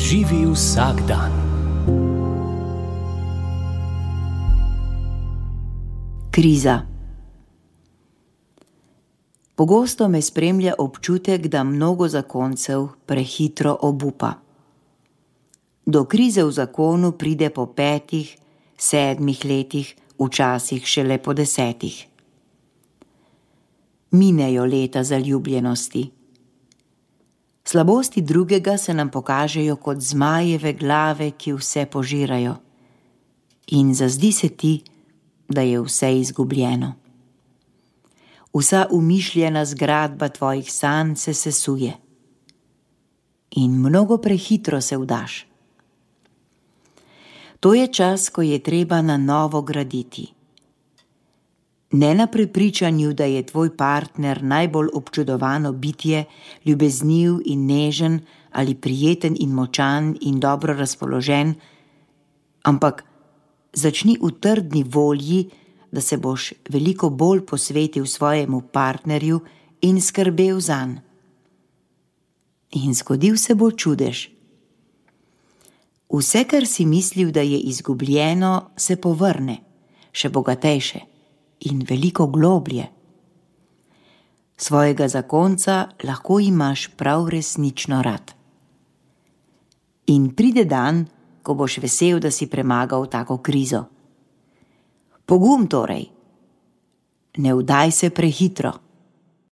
Živi vsak dan. Kriza. Pogosto me spremlja občutek, da mnogo zakoncev prehitro obupa. Do krize v zakonu pride po 5, 7 letih, včasih šele po 10. Minejo leta zaljubljenosti. Slabosti drugega se nam pokažejo kot zmajeve glave, ki vse požirajo. In zazdi se ti, da je vse izgubljeno. Vsa umišljena zgradba tvojih sanj se sesuje. In mnogo prehitro se vdaš. To je čas, ko je treba na novo graditi. Ne na prepričanju, da je tvoj partner najbolj občudovano bitje, ljubezniv in nežen ali prijeten in močan in dobro razpoložen, ampak začni v trdni volji, da se boš veliko bolj posvetil svojemu partnerju in skrbel zanj. In zgodil se bo čudež. Vse, kar si mislil, da je izgubljeno, se povrne, še bogatejše in veliko globlje. Svojega zakonca lahko imaš prav resnično rad. In pride dan, ko boš vesel, da si premagal tako krizo. Pogum torej. Ne vdaj se prehitro.